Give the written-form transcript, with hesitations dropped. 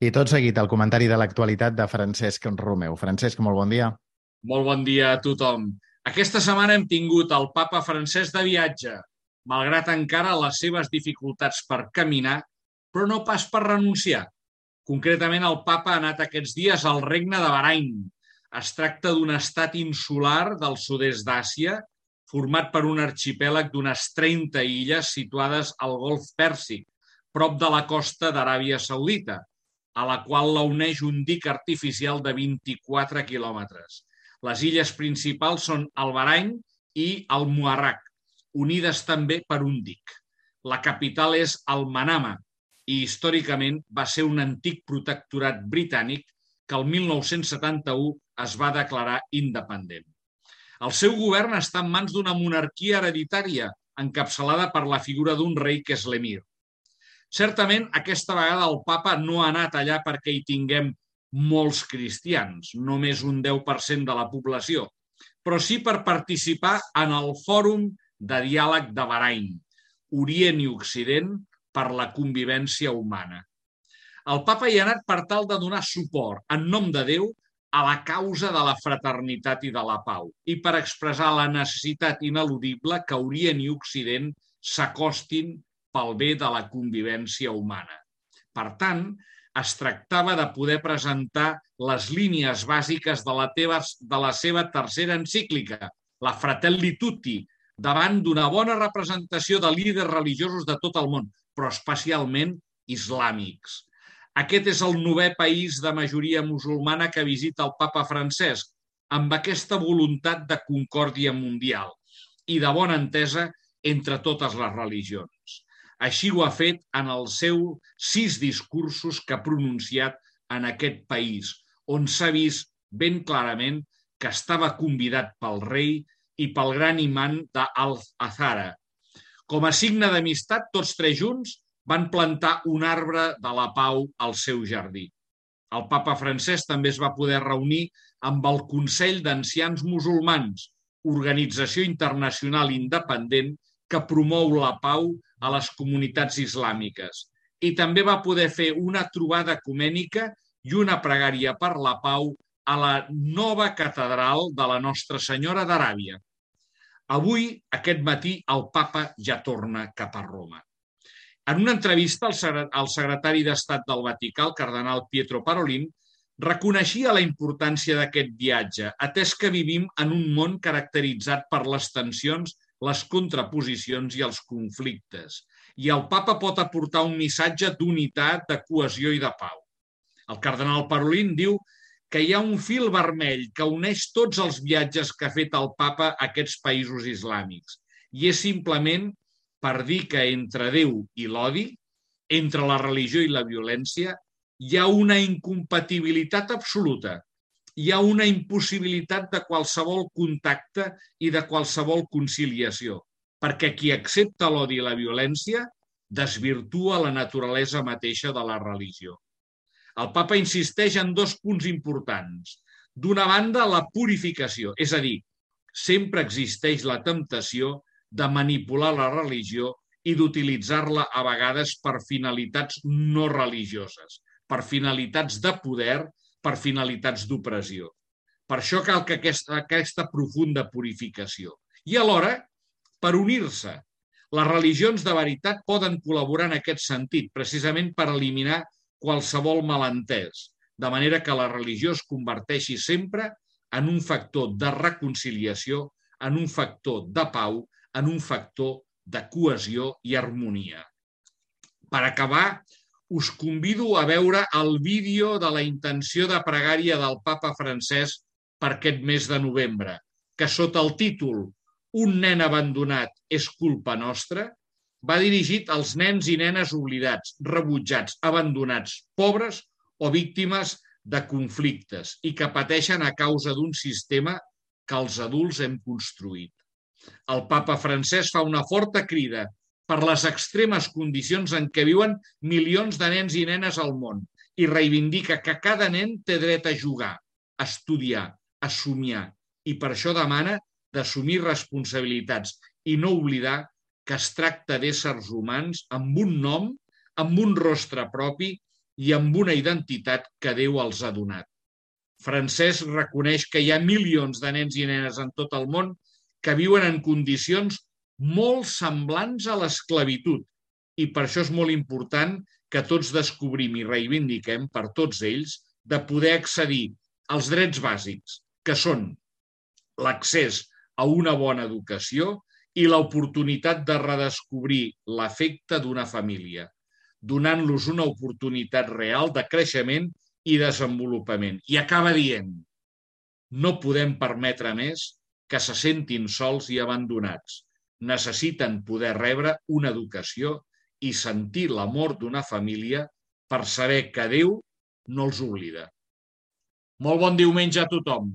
I tot seguit, el comentari de l'actualitat de Francesc Romeu. Francesc, molt bon dia. Molt bon dia a tothom. Aquesta setmana hem tingut el papa Francesc de viatge, malgrat encara les seves dificultats per caminar, però no pas per renunciar. Concretament, el papa ha anat aquests dies al regne de Bahrain. Es tracta d'un estat insular del sud-est d'Àsia, format per un arxipèlag d'unes 30 illes situades al Golf Pèrsic, prop de la costa d'Aràbia Saudita, a la qual la uneix un dic artificial de 24 quilòmetres. Les illes principals són el Bahrain i el Muharraq, unides també per un dic. La capital és el Manama i històricament va ser un antic protectorat britànic que el 1971 es va declarar independent. El seu govern està en mans d'una monarquia hereditària encapçalada per la figura d'un rei que és l'emir. Certament, aquesta vegada el papa no ha anat allà perquè hi tinguem molts cristians, només un 10% de la població, però sí per participar en el Fòrum de Diàleg de Bahrain, Orient i Occident per la convivència humana. El papa hi ha anat per tal de donar suport, en nom de Déu, a la causa de la fraternitat i de la pau i per expressar la necessitat ineludible que Orient i Occident s'acostin pel bé de la convivència humana. Per tant, es tractava de poder presentar les línies bàsiques de la seva tercera encíclica, la Fratelli Tutti, davant d'una bona representació de líders religiosos de tot el món, però especialment islàmics. Aquest és el 9è país de majoria musulmana que visita el papa Francesc, amb aquesta voluntat de concòrdia mundial i de bona entesa entre totes les religions. Així ho ha fet en els seus 6 discursos que ha pronunciat en aquest país, on s'ha vist ben clarament que estava convidat pel rei i pel gran imant d'Al-Azhara. Com a signe d'amistat, tots 3 junts van plantar un arbre de la pau al seu jardí. El papa Francesc també es va poder reunir amb el Consell d'Ancians Musulmans, organització internacional independent que promou la pau a les comunitats islàmiques, i també va poder fer una trobada ecumènica i una pregària per la pau a la nova catedral de la Nostra Senyora d'Aràbia. Avui, aquest matí, el papa ja torna cap a Roma. En una entrevista, el secretari d'Estat del Vaticà, el cardenal Pietro Parolin, reconeixia la importància d'aquest viatge, atès que vivim en un món caracteritzat per les tensions, les contraposicions i els conflictes. I el papa pot aportar un missatge d'unitat, de cohesió i de pau. El cardenal Parolin diu que hi ha un fil vermell que uneix tots els viatges que ha fet el papa a aquests països islàmics. I és simplement per dir que entre Déu i l'odi, entre la religió i la violència, hi ha una incompatibilitat absoluta. Hi ha una impossibilitat de qualsevol contacte i de qualsevol conciliació, perquè qui accepta l'odi i la violència desvirtua la naturalesa mateixa de la religió. El papa insisteix en 2 punts importants. D'una banda, la purificació, és a dir, sempre existeix la temptació de manipular la religió i d'utilitzar-la a vegades per finalitats no religioses, per finalitats de poder, per finalitats d'opressió. Per això cal que aquesta profunda purificació. I alhora, per unir-se. Les religions de veritat poden col·laborar en aquest sentit, precisament per eliminar qualsevol malentès, de manera que la religió es converteixi sempre en un factor de reconciliació, en un factor de pau, en un factor de cohesió i harmonia. Per acabar, us convido a veure el vídeo de la intenció de pregària del papa Francesc per aquest mes de novembre, que sota el títol Un nen abandonat és culpa nostra, va dirigit als nens i nenes oblidats, rebutjats, abandonats, pobres o víctimes de conflictes i que pateixen a causa d'un sistema que els adults hem construït. El papa Francesc fa una forta crida per les extremes condicions en què viuen milions de nens i nenes al món i reivindica que cada nen té dret a jugar, a estudiar, a somiar, i per això demana d'assumir responsabilitats i no oblidar que es tracta d'éssers humans amb un nom, amb un rostre propi i amb una identitat que Déu els ha donat. Francesc reconeix que hi ha milions de nens i nenes en tot el món que viuen en condicions molt semblants a l'esclavitud i per això és molt important que tots descobrim i reivindiquem per tots ells de poder accedir als drets bàsics, que són l'accés a una bona educació i l'oportunitat de redescobrir l'afecte d'una família, donant-los una oportunitat real de creixement i desenvolupament. I acaba dient, no podem permetre més que se sentin sols i abandonats. Necessiten poder rebre una educació i sentir l'amor d'una família per saber que Déu no els oblida. Molt bon diumenge a tothom.